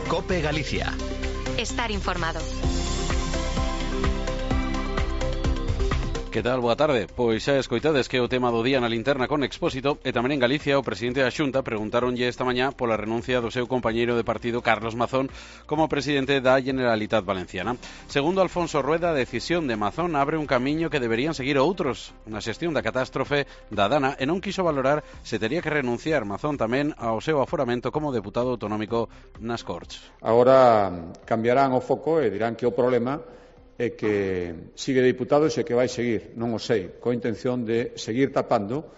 COPE Galicia. Estar informado. Que tal? Boa tarde. Pois xa escoitades que o tema do día na linterna con Expósito e tamén en Galicia o presidente da Xunta preguntaronlle esta mañá pola renuncia do seu compañeiro de partido Carlos Mazón como presidente da Generalitat Valenciana. Segundo Alfonso Rueda, a decisión de Mazón abre un camiño que deberían seguir outros na xestión da catástrofe da Dana e non quiso valorar se tería que renunciar Mazón tamén ao seu aforamento como deputado autonómico nas Corts. Agora cambiarán o foco e dirán que o problema é que sigue diputado e que vai seguir, non o sei, coa intención de seguir tapando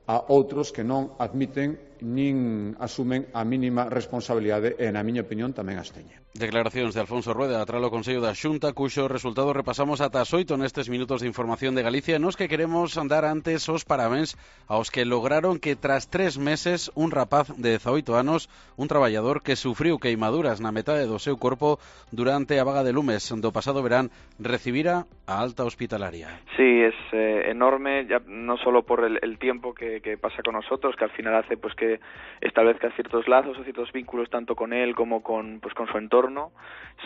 a outros que non admiten nin asumen a mínima responsabilidade e, na miña opinión, tamén as teñen. Declaracións de Alfonso Rueda tras o Consello da Xunta, cuxo resultado repasamos ata as 8 nestes minutos de información de Galicia, nos que queremos dar antes os parabéns aos que lograron que tras 3 meses un rapaz de 18 anos, un traballador que sufriu queimaduras na metade do seu corpo durante a vaga de lumes do pasado verán, recibira a alta hospitalaria. Sí, es enorme, ya no solo por el tiempo que pasa con nosotros, que al final hace pues que establezca ciertos lazos o ciertos vínculos tanto con él como con su entorno,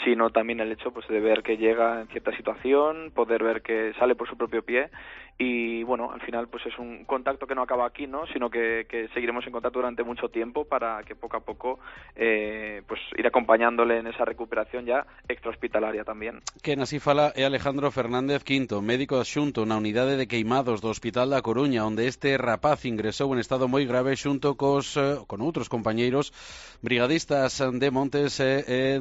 sino también el hecho pues de ver que llega en cierta situación, poder ver que sale por su propio pie y bueno, al final pues es un contacto que no acaba aquí, ¿no? Sino que seguiremos en contacto durante mucho tiempo para que poco a poco pues ir acompañándole en esa recuperación ya extrahospitalaria también. Quen así fala é Alejandro Fernández Quinto, médico adxunto na unidade de queimados do Hospital da Coruña, onde este rapaz ingresou en estado moi grave xunto con outros compañeiros brigadistas de Montes e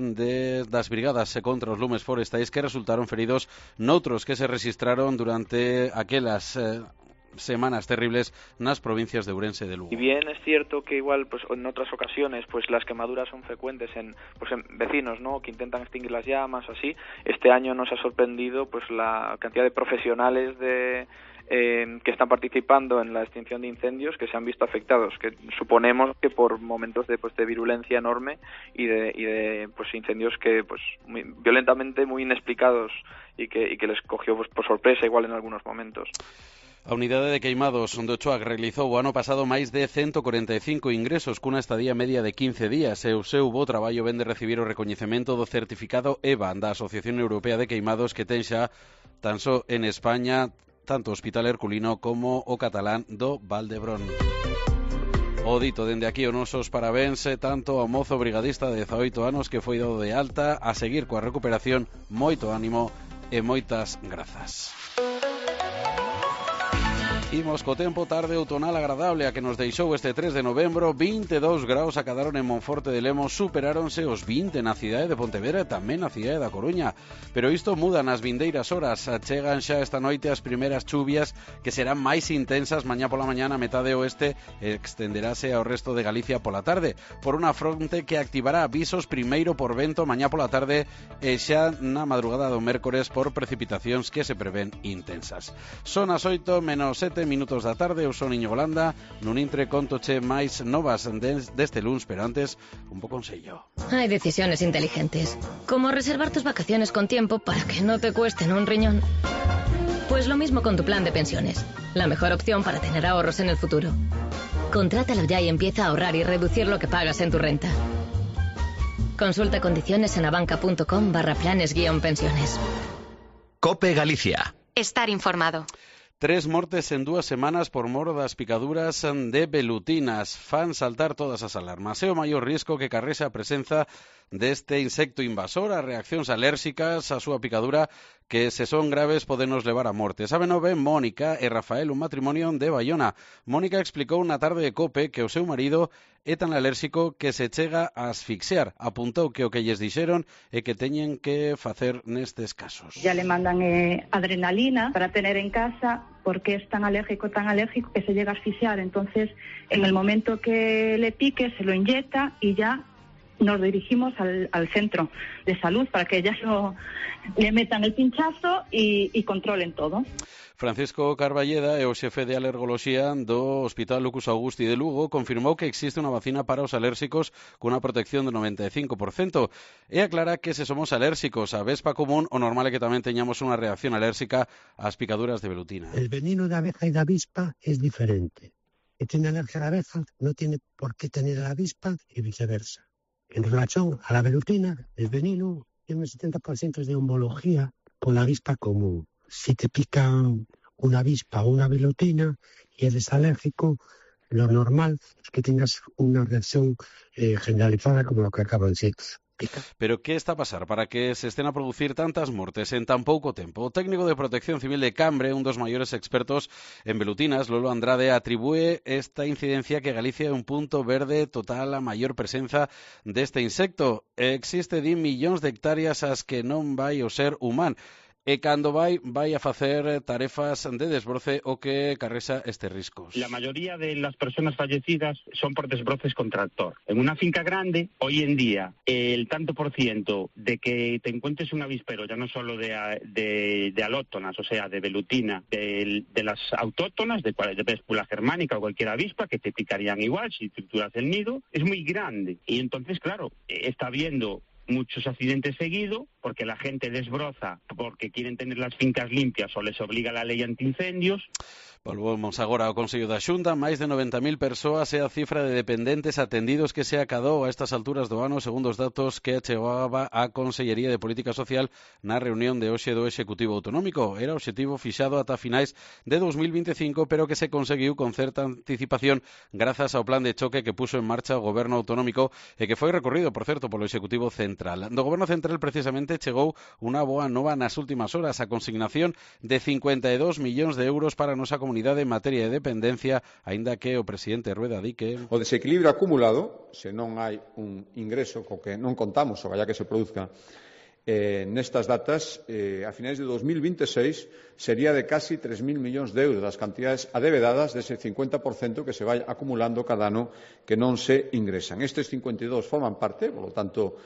das brigadas contra os lumes forestais que resultaron feridos noutros que se registraron durante aquelas semanas terribles nas provincias de Ourense e de Lugo. Y bien es cierto que igual pues en otras ocasiones pues las quemaduras son frecuentes en vecinos, ¿no? Que intentan extinguir las llamas o así. Este año nos ha sorprendido pues la cantidad de profesionales que están participando en la extinción de incendios que se han visto afectados, que suponemos que por momentos de virulencia enorme y de incendios que muy violentamente muy inexplicados y que les cogió por sorpresa igual en algunos momentos. A unidade de queimados onde Ochoa realizou o ano pasado máis de 145 ingresos cunha estadía media de 15 días e o seu bo traballo vén de recibir o recoñecemento do certificado EVA da Asociación Europea de Queimados que ten xa tan só en España tanto o Hospital Herculino como o catalán do Valdebrón. O dito dende aquí os nosos parabéns tanto ao mozo brigadista de 18 anos que foi dado de alta, a seguir coa recuperación, moito ánimo e moitas grazas. Imos co tempo, tarde outonal agradable a que nos deixou este 3 de novembro, 22 graus acadaron en Monforte de Lemos, superáronse os 20 na cidade de Pontevedra e tamén na cidade da Coruña. Pero isto muda nas vindeiras horas, chegan xa esta noite as primeiras chuvias que serán máis intensas mañá pola mañá na metade oeste e extenderase ao resto de Galicia pola tarde, por unha fronte que activará avisos primeiro por vento mañá pola tarde e xa na madrugada do mércores por precipitacións que se prevén intensas. Son as 8 menos 7 minutos da tarde, eu son Iñigo Landa, nun intre contoche máis novas deste luns, pero antes, un bo consello. Hay decisiones inteligentes, como reservar tus vacaciones con tiempo para que no te cuesten un riñón. Pues lo mismo con tu plan de pensiones, la mejor opción para tener ahorros en el futuro. Contrátalo ya y empieza a ahorrar y reducir lo que pagas en tu renta. Consulta condiciones en abanca.com/planes-pensiones. COPE Galicia. Estar informado. 3 mortes en 2 semanas por mor das picaduras de velutinas fan saltar todas as alarmas. É o maior risco que carrexa a presenza deste insecto invasor, as reaccións alérxicas a súa picadura que se son graves podenos levar a morte. Sábeno ben Mónica e Rafael, un matrimonio de Baiona. Mónica explicou na tarde de COPE que o seu marido é tan alérxico que se chega a asfixiar. Apuntou que o que lles dixeron é que teñen que facer nestes casos. Ya le mandan adrenalina para tener en casa porque es tan alérgico que se llega a asfixiar. Entonces, en el momento que le pique, se lo inyecta y ya nos dirigimos al centro de salud para que ellas le metan el pinchazo y controlen todo. Francisco Carballeda é o xefe de alergoloxía do Hospital Lucus Augusti de Lugo, confirmou que existe unha vacina para os alérxicos cunha protección do 95%. E aclara que se somos alérxicos á vespa común, o normal é que tamén teñamos unha reacción alérxica ás picaduras de velutina. El veneno da abeja e da avispa es diferente. Que tiene alergia a la abeja no tiene por qué tener a la avispa y viceversa. En relación a la velutina, el veneno tiene un 70% de homología con la avispa común. Si te pican una avispa o una velutina y eres alérgico, lo normal es que tengas una reacción generalizada como lo que acabo de decir. Pero ¿qué está a pasar para que se estén a producir tantas mortes en tan pouco tempo? O técnico de Protección Civil de Cambre, un dos maiores expertos en velutinas, Lolo Andrade, atribúe esta incidencia que Galicia é un punto verde total a maior presenza deste insecto. Existe 10 millóns de hectáreas as que non vai o ser humano. E cando vai a facer tarefas de desbroce o que carresa estes riscos. La mayoría de las personas fallecidas son por desbroces con tractor. En una finca grande, hoy en día, el tanto por ciento de que te encuentres un avispero, ya no solo de alóctonas, o sea, de velutina, de las autóctonas, de Vespula germánica o cualquier avispa, que te picarían igual si trituras el nido, es muy grande. Y entonces, claro, está habiendo muchos accidentes seguidos porque la gente desbroza porque quieren tener las fincas limpias o les obliga la ley antiincendios. Volvemos agora ao Consello da Xunta. Máis de 90.000 persoas é a cifra de dependentes atendidos que se acadou a estas alturas do ano, segundo os datos que achegaba a Consellería de Política Social na reunión de hoxe do Executivo Autonómico. Era obxectivo fixado ata finais de 2025, pero que se conseguiu con certa anticipación grazas ao plan de choque que puso en marcha o Goberno Autonómico e que foi recorrido, por certo, polo Executivo Central. Do Goberno Central, precisamente, chegou unha boa nova nas últimas horas, a consignación de 52 millóns de euros para a nosa comunidade en materia de dependencia, aínda que o presidente Rueda di que o desequilibrio acumulado, se non hai un ingreso co que non contamos, o vaya que se produzca nestas datas, a finais de 2026 sería de casi 3.000 millóns de euros das cantidades adevedadas dese 50% que se vai acumulando cada ano que non se ingresan. Estes 52 forman parte, por lo tanto,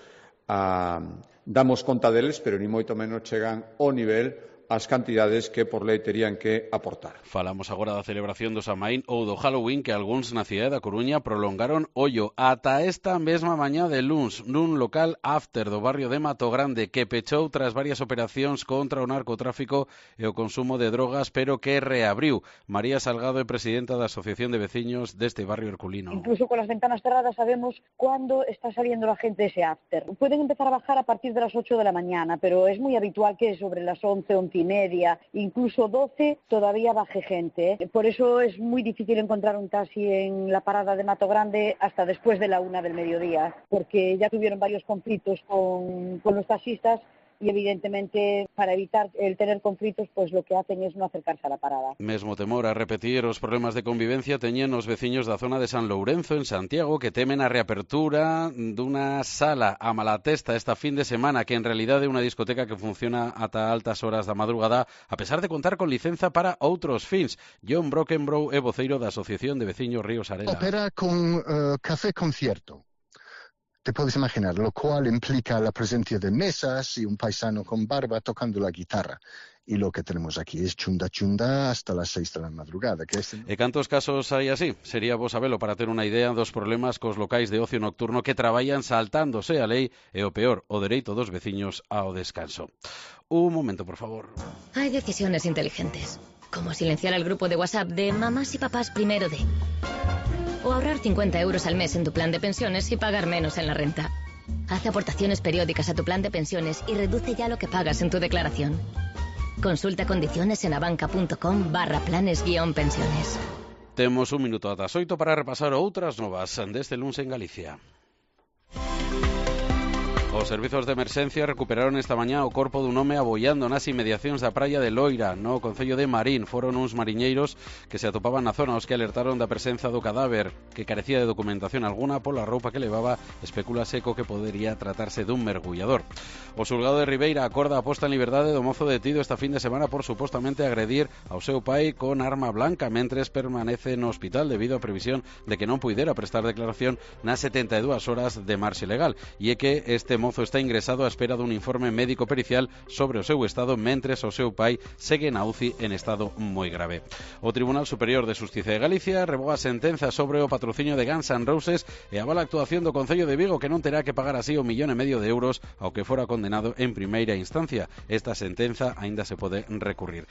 damos conta deles, pero ni moito menos chegan ao nivel as cantidades que por lei terían que aportar. Falamos agora da celebración do Samaín ou do Halloween que algúns na cidade da Coruña prolongaron ollo ata esta mesma mañá de luns nun local after do barrio de Matogrande que pechou tras varias operacións contra o narcotráfico e o consumo de drogas, pero que reabriu. María Salgado é presidenta da Asociación de Veciños deste barrio herculino. Incluso con las ventanas cerradas sabemos cuándo está saliendo la gente de ese after. Pueden empezar a bajar a partir de las 8 de la mañana, pero es muy habitual que sobre las 11 y media, incluso 12, todavía baje gente. Por eso es muy difícil encontrar un taxi en la parada de Matogrande hasta después de la 1 del mediodía, porque ya tuvieron varios conflictos con los taxistas y evidentemente para evitar el tener conflitos pues lo que hacen es no acercarse a la parada. Mesmo temor a repetir os problemas de convivencia teñen os veciños da zona de San Lourenzo en Santiago que temen a reapertura dunha sala a Malatesta esta fin de semana que en realidade é unha discoteca que funciona ata altas horas da madrugada a pesar de contar con licenza para outros fins. John Brockenbrough é voceiro da Asociación de Veciños Ríos Arena. Opera con café concierto. Te puedes imaginar, lo cual implica la presencia de mesas y un paisano con barba tocando la guitarra. Y lo que tenemos aquí es chunda chunda hasta las 6 de la madrugada. E cantos casos hai así? Sería vos sabelo para ter unha idea dos problemas cos locais de ocio nocturno que traballan saltándose a lei e o peor, o dereito dos veciños ao descanso. Un momento, por favor. Hay decisiones inteligentes, como silenciar el grupo de WhatsApp de mamás y papás primero de... O ahorrar 50 euros al mes en tu plan de pensiones y pagar menos en la renta. Haz aportaciones periódicas a tu plan de pensiones y reduce ya lo que pagas en tu declaración. Consulta condiciones en abanca.com/planes-pensiones. Temos un minuto ata as 8 para repasar outras novas deste luns en Galicia. Os servizos de emerxencia recuperaron esta mañá o corpo dun home aboiando nas inmediacións da praia de Loira, no concello de Marín. Foron uns mariñeiros que se atopaban na zona os que alertaron da presenza do cadáver, que carecía de documentación alguna pola roupa que levaba, especúlase co que podería tratarse dun mergullador. O xulgado de Ribeira acorda a posta en liberdade do mozo detido esta fin de semana por supostamente agredir ao seu pai con arma blanca mentres permanece no hospital debido á previsión de que non puidera prestar declaración nas 72 horas de marxe legal. E é que este mozo está ingresado á espera dun informe médico pericial sobre o seu estado mentres o seu pai segue na UCI en estado moi grave. O Tribunal Superior de Xustiza de Galicia revoga a sentenza sobre o patrocinio de Guns N' Roses e avala a actuación do Concello de Vigo que non terá que pagar así 1,5 millón de euros ao que fora condenado en primeira instancia. Esta sentenza aínda se pode recurrir.